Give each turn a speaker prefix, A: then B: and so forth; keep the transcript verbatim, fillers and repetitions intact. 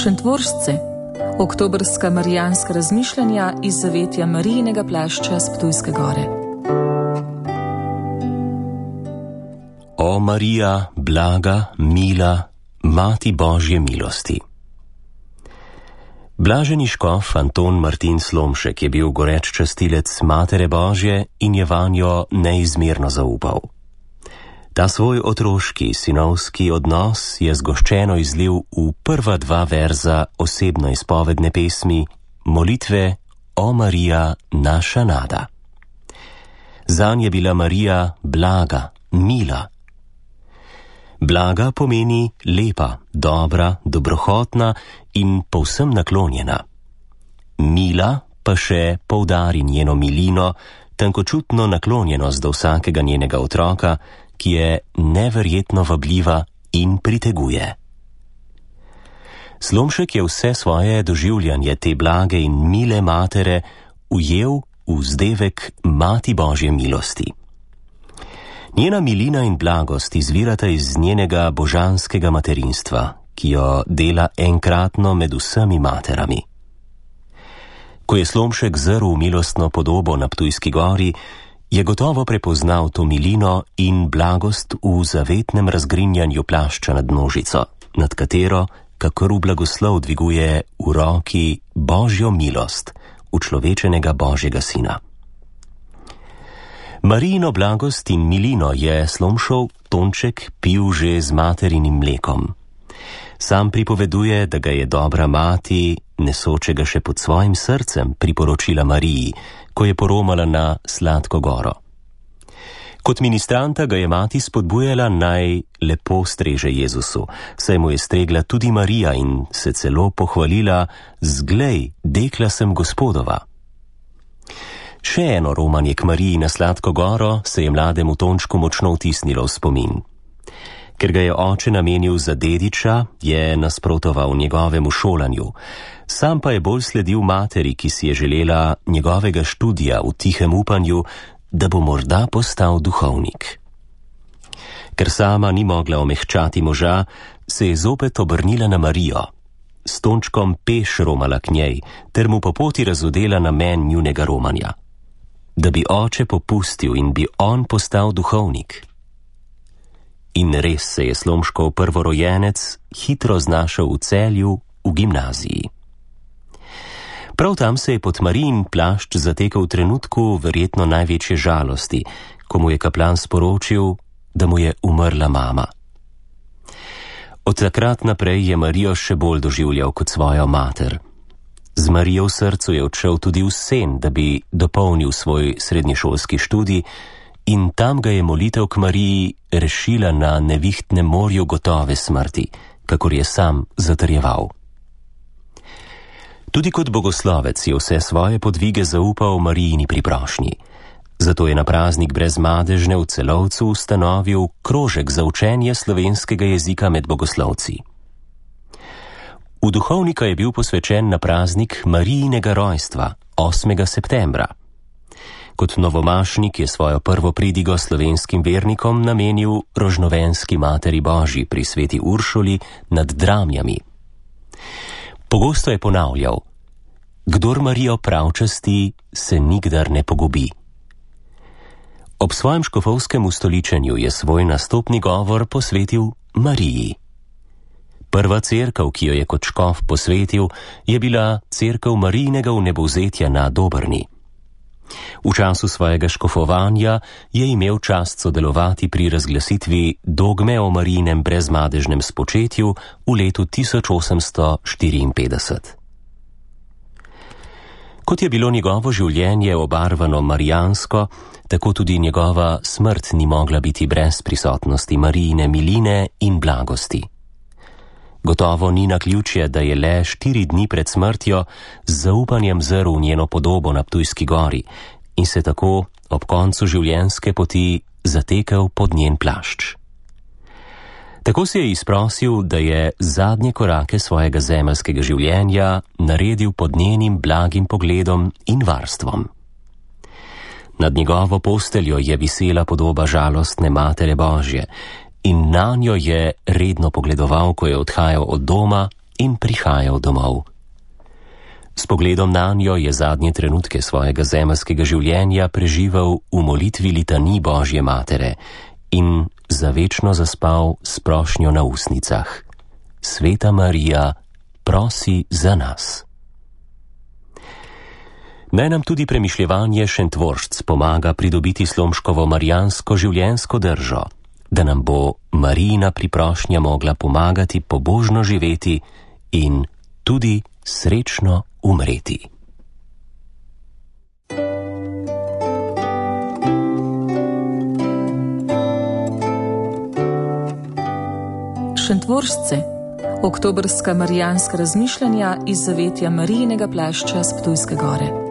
A: Šentvoržce, oktobrska marijanska razmišljanja iz zavetja Marijinega plašča s Ptujske gore.
B: O Marija, blaga, mila, Mati Božje milosti. Blaženi škof Anton Martin Slomšek je bil goreč častilec Matere Božje in je vanjo neizmerno zaupal. Ta svoj otroški, sinovski odnos je zgoščeno izlil v prva dva verza osebno izpovedne pesmi molitve O Marija, naša nada. Zanj je bila Marija blaga, mila. Blaga pomeni lepa, dobra, dobrohotna in povsem naklonjena. Mila pa še poudari njeno milino, tankočutno naklonjenost do vsakega njenega otroka, ki je neverjetno vabljiva in priteguje. Slomšek je vse svoje doživljanje te blage in mile matere ujel v vzdevek Mati Božje milosti. Njena milina in blagost izvirata iz njenega božanskega materinstva, ki jo dela enkratno med vsemi materami. Ko je Slomšek zrl v milostno podobo na Ptujski gori, je gotovo prepoznal to milino in blagost v zavetnem razgrinjanju plašča nad množico, nad katero, kakor v blagoslov dviguje v roki Božjo milost, učlovečenega Božjega sina. Marijino blagost in milino je Slomšov Tonček pil že z materinim mlekom. Sam pripoveduje, da ga je dobra mati, nesočega še pod svojim srcem, priporočila Mariji, ko je poromala na Sladko goro. Kot ministranta ga je mati spodbujala, naj lepo streže Jezusu, saj mu je stregla tudi Marija in se celo pohvalila: "Zglej, dekla sem Gospodova." Še eno romanje k Mariji na Sladko goro se je mlademu Tončku močno vtisnilo v spomin. Ker ga je oče namenil za dediča, je nasprotoval njegovemu šolanju, sam pa je bolj sledil materi, ki si je želela njegovega študija v tihem upanju, da bo morda postal duhovnik. Ker sama ni mogla omehčati moža, se je zopet obrnila na Marijo. S Tončkom peš romala k njej, ter mu po poti razodela namen njunega romanja. Da bi oče popustil in bi on postal duhovnik. In res se je Slomškov prvorojenec hitro znašel v Celju v gimnaziji. Prav tam se je pod Marijin plašč zatekel v trenutku verjetno največje žalosti, ko mu je kaplan sporočil, da mu je umrla mama. Od takrat naprej je Marijo še bolj doživljal kot svojo mater. Z Marijo v srcu je odšel tudi v sen, da bi dopolnil svoj srednješolski študij, in tam ga je molitev k Mariji rešila na nevihtnem morju gotove smrti, kakor je sam zatrjeval. Tudi kot bogoslovec je vse svoje podvige zaupal Marijini priprošnji. Zato je na praznik Brezmadežne v Celovcu ustanovil krožek za učenje slovenskega jezika med bogoslovci. V duhovnika je bil posvečen na praznik Marijinega rojstva, osmega septembra. Kot novomašnik je svojo prvo pridigo slovenskim vernikom namenil Rožnovenski Materi Božji pri sveti Uršuli nad Dramljami. Pogosto je ponavljal: "Kdor Marijo pravčasti, se nikdar ne pogubi." Ob svojem škofovskem ustoličenju je svoj nastopni govor posvetil Mariji. Prva cerkev, ki jo je kot škof posvetil, je bila cerkev Marijinega vnebovzetja na Dobrni. V času svojega škofovanja je imel čast sodelovati pri razglasitvi dogme o Marijinem brezmadežnem spočetju v letu tisoč osemsto štiriinpetdeset. Kot je bilo njegovo življenje obarvano marijansko, tako tudi njegova smrt ni mogla biti brez prisotnosti Marijine miline in blagosti. Gotovo ni naključje, da je le štiri dni pred smrtjo z zaupanjem zrl v njeno podobo na Ptujski gori in se tako ob koncu življenjske poti zatekel pod njen plašč. Tako se je izprosil, da je zadnje korake svojega zemeljskega življenja naredil pod njenim blagim pogledom in varstvom. Nad njegovo posteljo je visela podoba žalostne Matere Božje in nanjo je redno pogledoval, ko je odhajal od doma in prihajal domov. S pogledom nanjo je zadnje trenutke svojega zemeljskega življenja preživel v molitvi litanij Božje matere in zavečno zaspal s prošnjo na ustnicah: Sveta Marija, prosi za nas. Naj nam tudi premišljevanje Šentvoržc pomaga pridobiti Slomškovo marijansko življenjsko držo, da nam bo Marijina priprošnja mogla pomagati pobožno živeti in tudi srečno umreti.
A: Šentvoržce, oktobrska marijanska razmišljanja iz zavetja Marijinega plašča s Ptujske gore.